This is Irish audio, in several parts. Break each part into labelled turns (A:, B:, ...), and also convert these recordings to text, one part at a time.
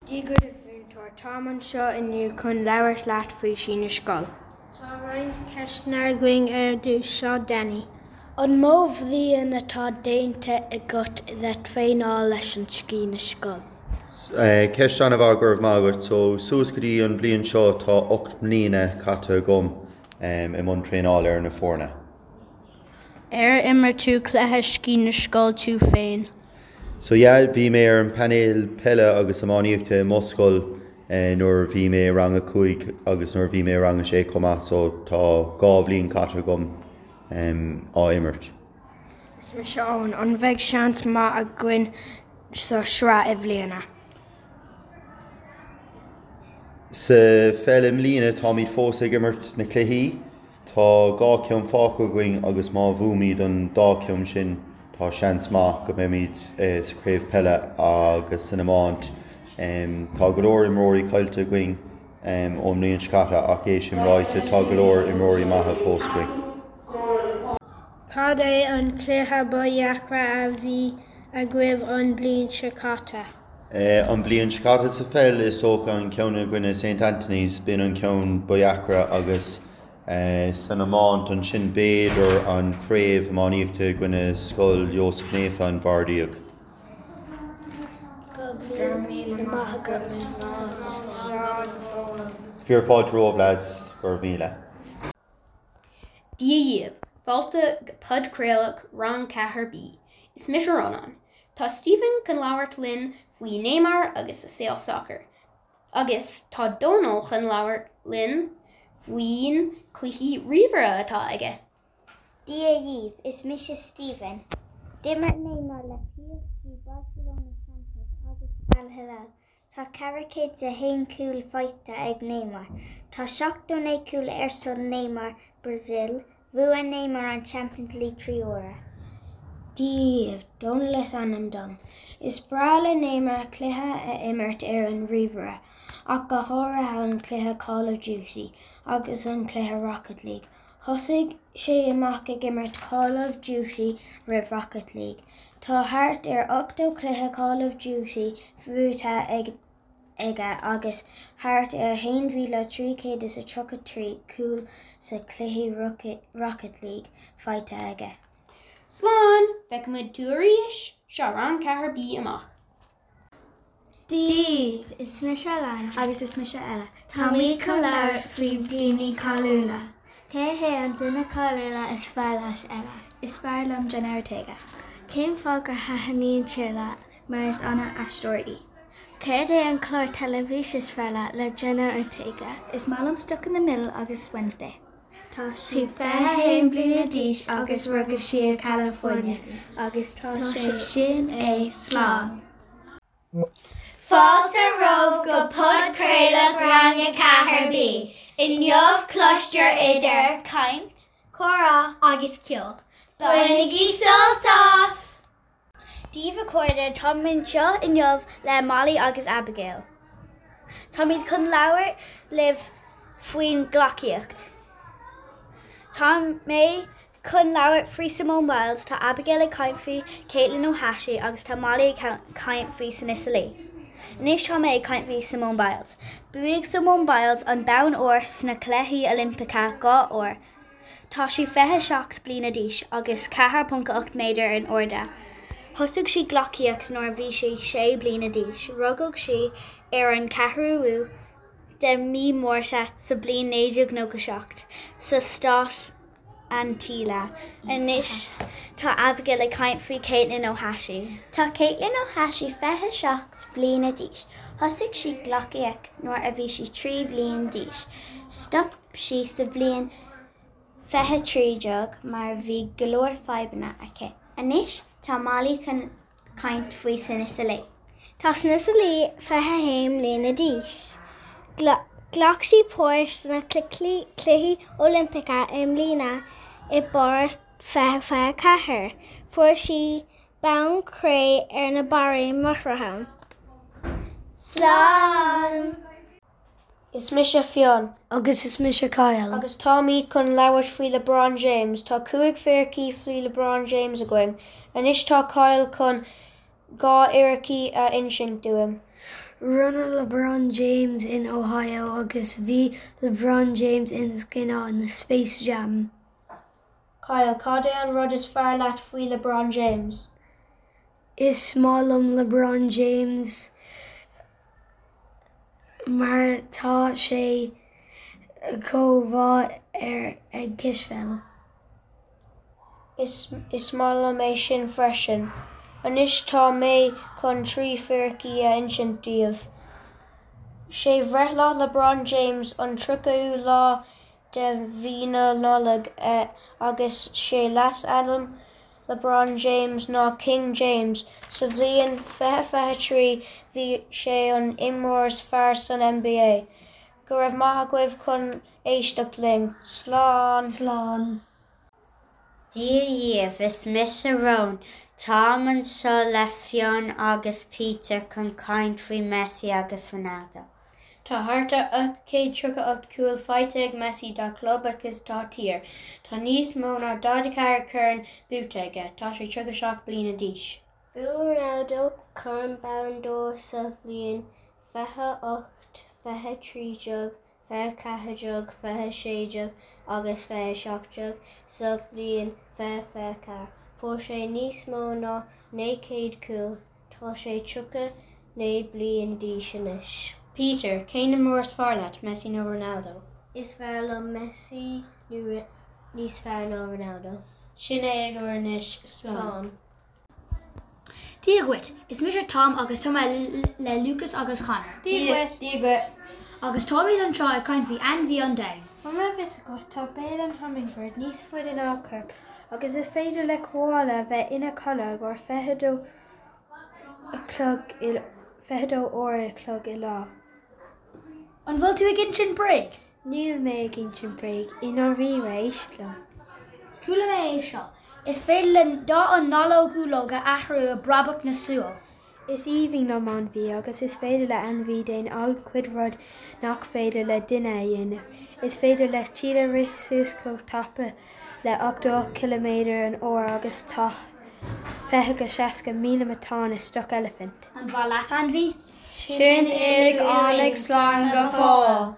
A: Dia dhuit a mhúinteoir, táim anseo inniu chun labhairt leat faoi Scí na Scol.
B: Tá roinnt ceisteanna againn ar dtús. Seo Danny.
A: An mó bhliain atá déanta agat le traenáil leis an Scí na Scol?
C: Ceist an-mhaith, go raibh maith agat. So, suas go dtí an bhliain seo tá 8 mbliana caite agam i mbun traenála ar na foirne.
A: Ar imir tú cluiche Scí na Scol tú féin?
C: So yeah, bhí mé ar an painéal peile agus iománaíochta i mo scoil nuair a bhí mé i rang a 5 agus nuair a bhí mé i rang a 6 chomh maith so tá 2 bhliain caite agam á imirt.
A: Is mise Eoin. An bheidh seans maith againn sa sraith i mbliana?
C: Sa pheil i mbliana táimid fós ag imirt na cluichí. Tá 2 ceann fágtha againn agus má bhuaimid an dá cheann sin tá seans maith go mbeimid sa chraobh peile agus san iomáint. Tá go leor imreoirí caillte againn ón mbliain seo caite ach é sin ráite tá go leor imreoirí maithe fós againn.
B: Cad é an cluiche ba dheacra a bhí agaibh an bliain seo caite?
C: An bhliain seo caite sa pheil is dócha an ceann i gcoinne St Anthony's b'in an ceann ba dheacra agus san iomáint ansin b'fhéidir an craobh iománaíochta i gcoinne Scoil Iósaf Naofa an Bharr Díog.
A: Go raibh míle maith agat. Slán.
C: Fíor fáilte romhaibh lads, go raibh míle.
D: Dia dhaoibh! Fáilte go podchraoladh Rang 4B. Is mise Rónán. Tá Stephen chun labhairt linn faoi Neymar agus a saol sacair. Agus tá Dónal chun labhairt linn faoin cluichí ríomhaire atá aige.
E: Dia dhaoibh, is mise Stephen. D'imir Neymar le PSG, Barcelona, Santos agus Al Hilal. Tá 401 cúl faighte ag Neymar. Tá 79 cúl ar son Neymar Brazil. Bhuaigh Neymar an Champions League 3 huaire.
A: Dia dhaoibh, Dónal is ainm dom. Is breá le Neymar cluiche a imirt ar an ríomhaire, ach go háirithe an cluiche Call of Duty agus an cluiche Rocket League. Thosaigh sé amach ag imirt Call of Duty roimh Rocket League. Tá thart ar 80 cluiche Call of Duty buaite aige agus thart ar 1,333 cúl sa chluiche Rocket League faighte aige.
D: Slán! Feicfimid tú arís! Seo Rang 4B amach.
E: Dia daoibh! Is mise Alana.
F: Agus is mise Ella. Táimid chun labhairt faoi daoine cáiliúla.
E: Cé hé an duine cáiliúla is fearr leat, Ella?
F: Is fearr liom Jenna Ortega.
E: Cén fáth gur thaitníonn sé leat?
F: Mar is ana-aisteoir í.
E: Céard é an clár teilifíse is fearr leat le Jenna Ortega?
F: Is maith liom Stuck in the Middle agus Wednesday.
E: Tá sí 21 bliana d'aois agus rugadh sí i California agus tá sé Sin é, slán!
G: Fáilte romhaibh go podchraoladh Rang 4B. Inniu cloistear idir
E: caint,
G: comhrá agus ceol. Bainigí sult as!
E: Dia daoibh a chairde, táim anseo inniu le Molly agus Abigail. Táimid chun labhairt libh faoin gleacaíocht. Tá mé chun labhairt faoi Simone Biles, tá Abigail ag caint faoi Katelyn Ohashi agus tá Molly ag caint faoi Sunisa Lee. Anois tá mé ag caint faoi Simone Biles. Bhuaigh Simone Biles an bonn óir sna Cluichí Oilimpeacha 2 uair. Tá sí 27 bliana d'aois agus 4.8 méadar in airde. Thosaigh sí gleacaíocht nuair a bhí sí 6 bliana d'aois. Rugadh sí ar an 4ú de mí Márta sa bliain 1997 sa stát Antigua. Anois tá Abigail ag caint faoi Katelyn Ohashi.
G: Tá Katelyn Ohashi 27 bliana d'aois. Thosaigh sí gleacaíocht nuair a bhí sí 3 bhliain d'aois. Stop sí sa bhliain 2013 mar bhí go leor fadhbanna aici. Anois tá Molly chun caint faoi Sunisa Lee.
B: Tá Sunisa Lee 21 mbliana d'aois. Ghlac sí páirt sna Cluichí Oilimpeacha i mbliana i bPáras 2024. Fuair sí bonn cré ar na barraí máithreacha.
G: Slán!
H: Is mise Fionn.
I: Agus is mise Kyle.
H: Agus táimid chun labhairt faoi LeBron James. Tá 5 fíricí faoi LeBron James againn. Anois tá Kyle chun 2 fhíricí a insint dúinn.
A: Rinne LeBron James in Ohio agus bhí LeBron James in scannán Space Jam.
H: Kyle, Cad é an rud is fearr leat faoi LeBron James?
A: Is maith liom LeBron James mar tá sé chomh mhaith ar ag cispheil.
H: Is is maith liom é sin freisin. Anois tá mé chun 3 fíricí a insint daoibh. Sé bhreithlá LeBron James an 30ú lá de mhí na Nollag agus sé leasainm LeBron James ná King James. Sa bhliain 2023 bhí sé an imreoir is fearr san NBA. Go raibh maith agaibh chun éisteacht linn. Slán!
A: Slán!
I: Dia dhaoibh, is mise Roan. Táim anseo le Fionn agus Peter chun caint faoi Messi agus Ronaldo.
D: Tá thart ar 838 cúl faighte ag Messi dá chlub agus dá thír. Tá níos mó ná 44 corn buaite aige. Tá sé 37 bliana d'aois.
B: Bhuaigh Ronaldo Corn Ballon d'Or sa bhliain 28, 20 13, 20 14, 20 16 agus 2017 sa bhliain 2024. Fuair sé níos mó ná 900 cúl. Tá sé 39 bliain d'aois anois.
D: Peter, Cén imreoir is fearr leat, Messi nó Ronaldo?
B: Is fearr liom Messi níos fearr ná Ronaldo.
D: Sin é agaibh anois. Slán.
E: Dia dhuit, is mise Tom agus tá mé le Lucas agus Conor.
D: Dia dhuit.
J: Dia dhuit.
E: Agus táimid anseo ag caint faoi ainmhí an domhain.
F: An raibh fhios agat, tá béal an hummingbird níos faide ná a corp agus is féidir le koala a bheith ina chodladh ar 22 a chlog i 22 uair a chlog i lá.
E: An bhfuil tú ag insint bréag?
F: Níl mé ag insint bréag, i ndáiríre, éist liom.
E: Chuala mé é seo. Is féidir le dath an ngallóglach a athrú i bpreabadh na súl.
F: Is aoibhinn liom ainmhí agus is féidir le ainmhí déanamh an-chuid rud nach féidir le duine a dhéanamh. Is féidir le cheetah rith suas chomh tapa le 88 ciliméadar an uair agus tá 20-60,000 matán i stoc eilifint.
E: An mhaith leat ainmhí?
J: Sin uilig tháinig slán go fóill.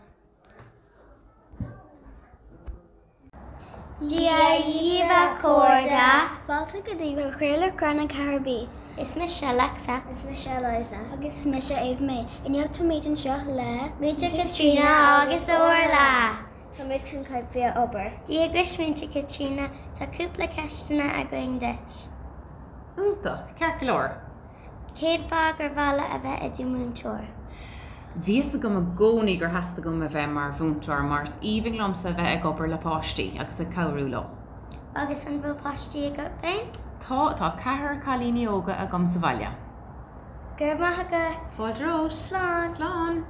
G: Dia dhaoibh a chairde. Fáilte go dtí Podchraoladh Rang 4B. Is mise Alexa. Is mise Eliza. Agus is mise Ava Mae. Inniu táimid anseo le. Múinteoir Caitríona agus Orla. Táimid chun caint faoi obair. Dia duit Múinteoir Caitríona, tá cúpla ceisteanna againn duit.
K: Iontach, ceart go leor.
G: Cén fáth gur mhaith leat a bheith i do mhúinteoir?
K: Bhí fhios agam i gcónaí gur theastaigh uaim a bheith mar mhúinteoir mar is aoibhinn liomsa a bheith ag obair le páistí agus ag cabhrú leo.
G: Agus an bhfuil páistí agat féin?
K: Tá, tá ceathrar cailíní óga agam sa bhaile.
G: Go raibh maith agat!
K: Fáilte romhat!
G: Slán!
K: Slán!